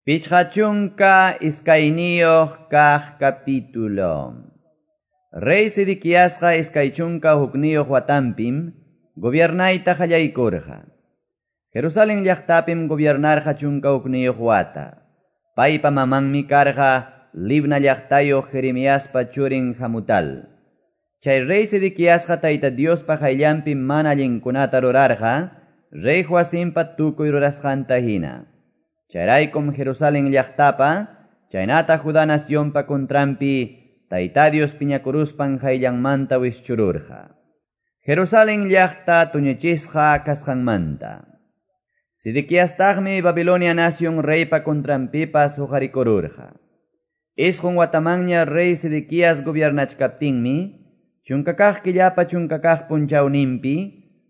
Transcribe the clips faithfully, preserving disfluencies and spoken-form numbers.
Pichqa chunka iskayniyuq kaq capítulo. Rey Sedequiasqa iskay chunka hukniyuq watanpim gobiernayta qallaykurqa. Jerusalén llaqtapim gobiernarqa chunka hukniyuq wata. Paypa mamanmi karqa Libna llaqtayuq Jeremiaspa churin Hamutal. Chay rey Sedequiasqa Tayta Diospa qayllanpi mana allinkunata rurarqa, rey Joacimpa tukuy rurasqanta hina. Chayraykum Jerusalén llaqtapa, chaynata Judá nacionpa contranpi, Tayta Dios piñakuruspan qayllanmanta wischururqa. Jerusalén llaqta tuñichisqa kasqanmanta. Sedequiastaqmi Babilonia nación reypa contranpipas huqarikururqa. Isqun watamanña rey Sedequías gobiernachkaptinmi, chunkakaq killapa chunkakaq punchawninpi,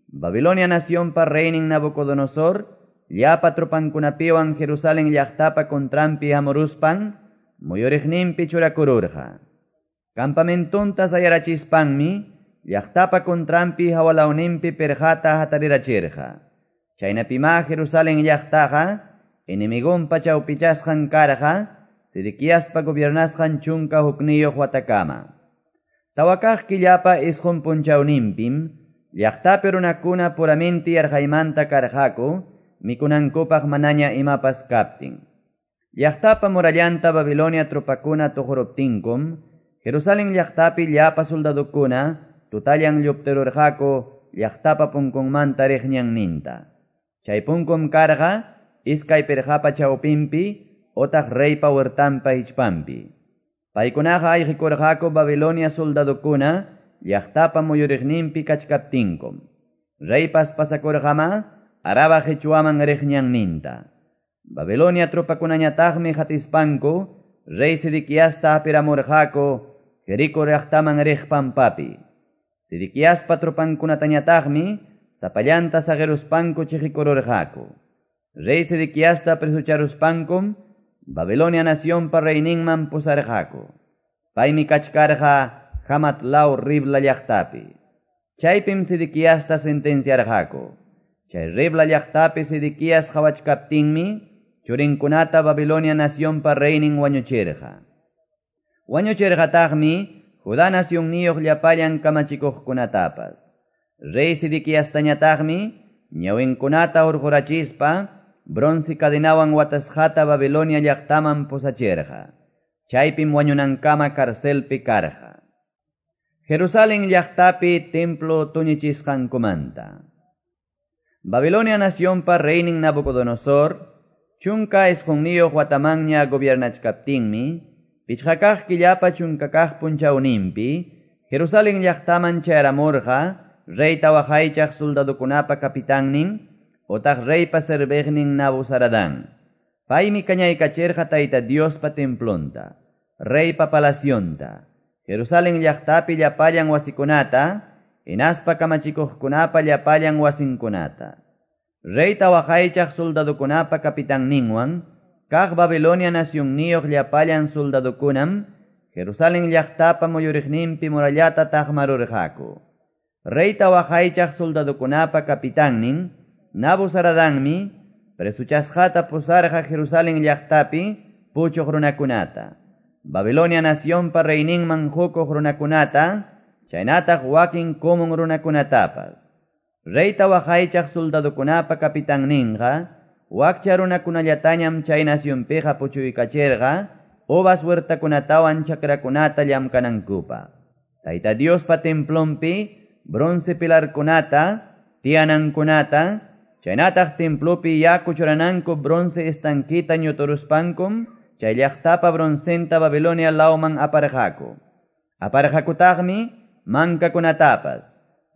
Babilonia nacionpa reynin Nabucodonosor, llapa tropankunapiwan Jerusalén llaqtapa contranpi hamuruspan, muyuriqninpi churakururqa. Campamentunta sayarachispanmi, llaqtapa contranpi hawalawninpi perqata hatarirachirqa. Chaynapima Jerusalén llaqtaqa, enemigonpa chawpichasqan karqa, Sedequiaspa gobiernasqan chunka hukniyuq watakama. Tawakaq killapa isqun punchawninpim, llaqtapi runakuna puramenti yarqaymanta karqaku, mikunankupaq manaña imapas kaptin. Llaqtapa murallanta Babilonia tropakuna tuquruptinkum, Jerusalén llaqtapi llapa soldadukuna tutallan lluptirurqaku llaqtapa punkunmanta riq ñanninta. Chay punkum karqa iskay pirqapa chawpinpi otaq reypa huertanpa hichpanpi. Paykunaqa ayqikurqaku Babilonia soldadukuna llaqtapa muyuriqninpi kachkaptinkum. Reypas pasakurqama Araba qichwaman riq ñanninta. Babilonia tropakunañataqmi hatispanku rey Sedequiasta apiramurqaku Jericó llaqtaman riq pampapi. Sedequiaspa tropankunatañataqmi sapallanta saqiruspanku chiqikururqaku. Rey Sedequiasta presucharuspankum Babilonia nacionpa reyninman pusarqaku. Paymi kachkarqa Hamat law Ribla llaqtapi. Chaypim Sedequiasta sentenciarqaku. Chay Ribla llaqtapi Sedequías qhawachkaptinmi, churinkunata Babilonia nacionpa reynin wañuchirqa. Wañuchirqataqmi Judá nacionniyuq llapallan kamachikuqkunatapas. Rey Sedequiastañataqmi ñawinkunata hurqurachispa bronce cadenawan watasqata Babilonia llaqtaman pusachirqa. Chaypim wañunankama carcelpi karqa. Jerusalén llaqtapi templo tuñichisqankumanta. Babilonia nacionpa reynin Nabucodonosor, chunka isqunniyuq watamanña gobiernachkaptinmi, pichqakaq killapa chunkakaq punchawninpi, Jerusalén llaqtaman chayaramurqa, reyta waqaychaq soldadukunapa kapitannin, otaq reypa serviqnin Nabuzaradán. Paymi kañaykachirqa Tayta Diospa templonta, reypa palacionta, Jerusalén llaqtapi llapallan wasikunata, hinaspa kamachikuqkunapa llapallan wasinkunata. Reyta waqaychaq soldadukunapa kapitanninwan, kaq Babilonia nacionniyuq llapallan soldadukunam, Jerusalén llaqtapa muyuriqninpi murallata taqmarurqaku. Reyta waqaychaq soldadukunapa kapitannin, Nabuzaradanmi, presuchasqata pusarqa Jerusalén llaqtapi puchuq runakunata. Babilonia nacionpa reyninman hukuq runakunata, chaynataq wakin comun runakunatapas. Reyta waqaychaq soldadukunapa kapitanninqa, wakcha runakunallatañam chay nacionpiqa puchuykachirqa, uvas huertakunatawan chakrakunata llamkanankupaq. Tayta Diospa templonpi bronce pilarkunata, tiyanankunata, chaynataq templopi yaku churananku bronce estanquita ñuturuspankum, chay llaqtapa broncenta Babilonia lawman aparqaku. Aparqakutaqmi mankakunatapas,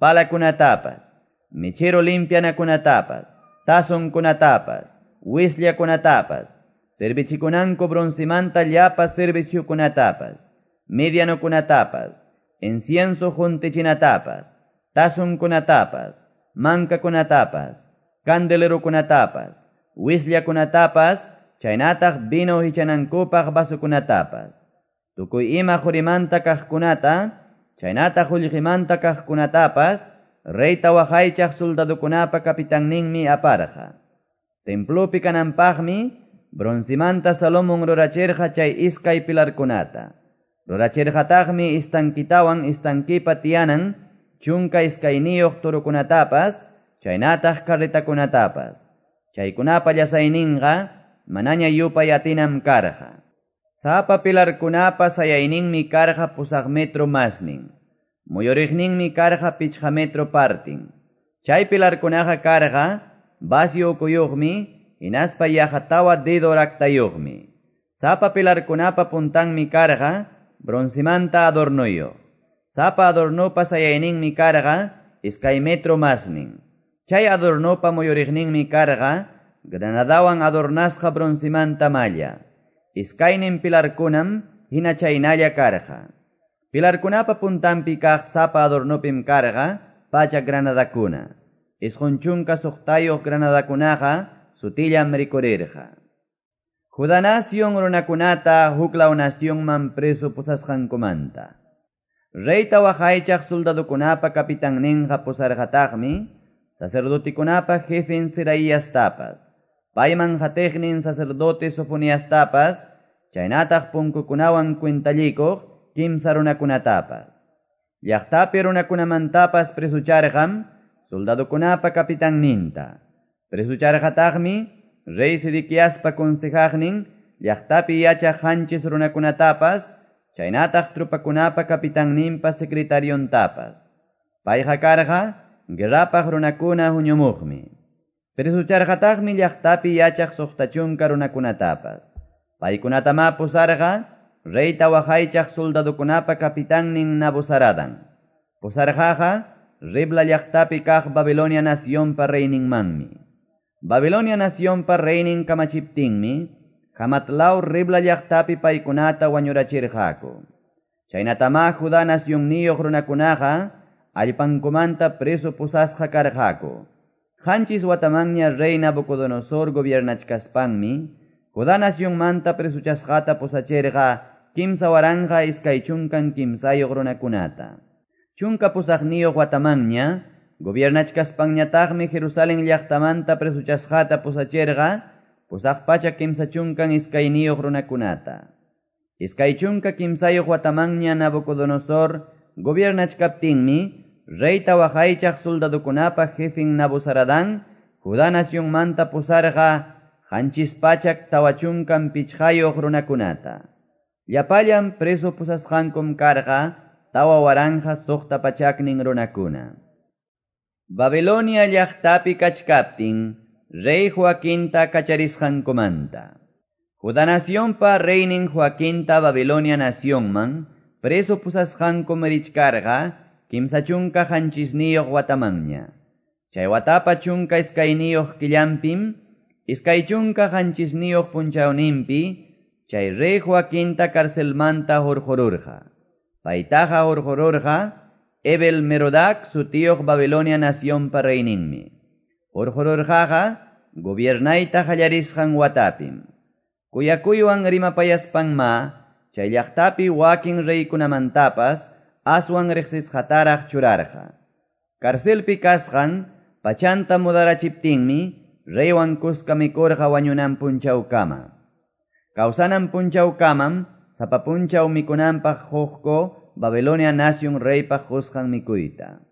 palakunatapas, mechero limpianakunatapas, tazonkunatapas, wisllakunatapas, servichikunanku broncemanta llapa serviciokunatapas, medianokunatapas, incienso juntichinatapas, tazonkunatapas, mankakunatapas, candelerokunatapas, wisllakunatapas, chaynataq vino hichanankupaq vasokunatapas. Tukuy ima qurimanta kaqkunata, chaynataq qullqimanta kaqkunatapas, reyta waqaychaq soldadukunapa kapitanninmi aparqa. Templopi kananpaqmi broncemanta Salomon rurachirqa chay iskay pilarkunata. Rurachirqataqmi estanquitawan estanquipa tiyanan chunka iskayniyuq torokunatapas, chaynataq carretakunatapas. Chaykunapa llasayninqa manaña yupay atinam karqa. Sapa pilarkunapa sayayninmi karqa pusaq metro masnin. Muyuriqninmi karqa pichqa metro partin. Chay pilarkunaqa karqa vacío ukuyuqmi, hinaspa yaqa tawa dedo raktayuqmi. Sapa pilarkunapa puntanmi karqa broncemanta adornuyuq. Sapa adornopa sayayninmi karqa iskay metro masnin. Chay adornopa muyuriqninmi karqa granadawan adornasqa broncemanta malla. Iskaynin pilarkunam hina chaynalla karqa. Pilarkunapa puntanpi kaq sapa adornopim karqa pachak granadakuna. Isqun chunka suqtayuq granadakunaqa sutillam rikurirqa. Judá nación runakunata huklaw nacionman preso pusasqankumanta. Reyta waqaychaq soldadokunapa capitanninqa pusarqataqmi sacerdotekunapa jefen Seraiastapas, payman qatiqnin sacerdote Sofoniastapas, chaynataq punkukunawan cuentallikuq kimsa runakunatapas. Llaqtapi runakunamantapas presucharqam soldadokunapa capitanninta. Presucharqataqmi rey Sedequiaspa consejaqnin llaqtapi yachaq qanchis runakunatapas, chaynataq tropakunapa capitanninpa secretariontapas. Payqa karqa guerrapaq runakuna huñumuqmi. Presucharqataqmi llaqtapi yachaq suqta chunka runakunatapas. Paykunatamá pusarqa reyta waqaychaq soldadokunapa capitannin Nabuzaradan. Pusarqaqa Ribla llaqtapi kaq Babilonia nacionpa reyninmanmi. Babilonia nacionpa reynin kamachiptinmi, Hamatlaw Ribla llaqtapi paykunata wañurachirqaku. Chaynatamá Judá nacionniyuq runakunaqa allpankumanta preso pusasqa karqaku. Qanchis watamanña rey Nabucodonosor gobiernachkaspanmi, Judá nacionmanta presuchasqata pusachirqa kimsa waranqa iskay chunkan kimsayuq runakunata. Chunka pusaqniyuq watamanña gobiernachkaspanñataqmi Jerusalén llaqtamanta presuchasqata pusachirqa pusaq pachak kimsa chunkan iskayniyuq runakunata. Iskay chunka kimsayuq watamanña Nabucodonosor gobiernachkaptinmi reyta waqaychaq soldadokunapa jefen Nabuzaradan Judá nacionmanta pusarqa qanchis pachak tawa chunkan pichqayuq runakunata. Llapallan preso pusasqankum karqa tawa waranqa suqta pachaknin runakuna. Babilonia llaqtapi kachkaptin rey Joaquinta kacharisqankumanta. Judá nacionpa reynin Joaquinta Babilonia nacionman preso pusasqankum richkarqa kimsa chunka qanchisniyuq watamanña. Chay watapa chunka iskayniyuq killanpim, iskay chunka qanchisniyuq punchawninpi, chay rey Joaquinta carcelmanta hurqururqa. Paytaqa hurqururqa Ebel Merodac sutiyuq Babilonia nacionpa reyninmi. Hurqururqaqa gobiernayta qallarisqan watapim. Kuyakuywan rimapayaspanma, chay llaqtapi wakin reykunamantapas aswan riqsisqataraq churarqa. Carcelpi kasqan pachanta mudarachiptinmi reywan kuska mikurqa wañunan punchawkama. Kawsanan punchawkamam sapa punchaw mikunanpaq quqku Babilonia nación reypaq qusqan mikuyta.